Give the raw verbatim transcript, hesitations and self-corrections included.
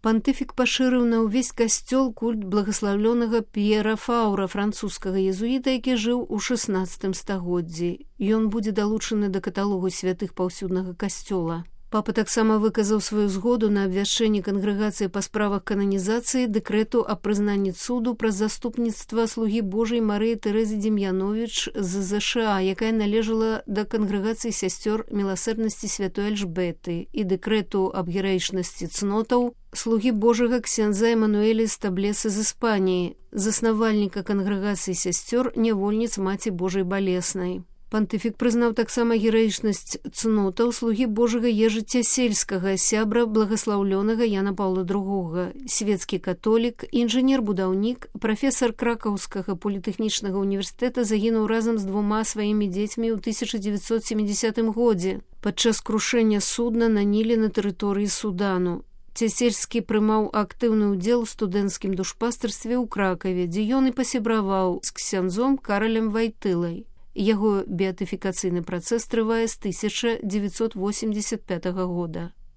Пантыфік пашырыў на ўвесь касцёл культ благаслаўлёнага П'ера Фаўра, французскага езуіта, які жыў у шаснаццатым стагоддзі. Ён будзе далучаны да каталогу святых паўсюднага касцёла. Папа таксама выказаў сваю згоду на абвяшчэнне кангрэгацыі па справах кананізацыі дэкрэту аб прызнанні цуду праз заступніцтва слугі Божай Марыі Тэрэзы Дем'яновіч з ЗША, якая належала да кангрэгацыі сясцёр міласэрнасці святой Альжбеты, і дэкрэту аб гераічнасці цнотаў слугі Божага ксяндза Эмануэля Стаблеса з Іспаніі, заснавальніка кангрэгацыі сясцёр нявольніц Маці Божай Балеснай. Пантыфік прызнаў таксама гераічнасць цнотаў слугі Божага Ежы Цясельскага, сябра благаслаўлёнага Яна Паўла другога, свецкі католік, інжынер-будаўнік, прафесар Кракаўскага політэхнічнага універсітэта, загінуў разам з двума сваімі дзецьмі ў тысяча дзевяцьсот сямідзясятым годзе падчас крушэння судна на Ніле на тэрыторыі Судану. Цясельскі прымаў актыўны ўдзел у студэнцкім душпастарстве ў Кракаве, дзе ён і пасябраваў з ксяндзом Каралем Вайтылай. Яго беатыфікацыйны працэс трывае з тысяча дзевяцьсот восемьдзесят пятага года.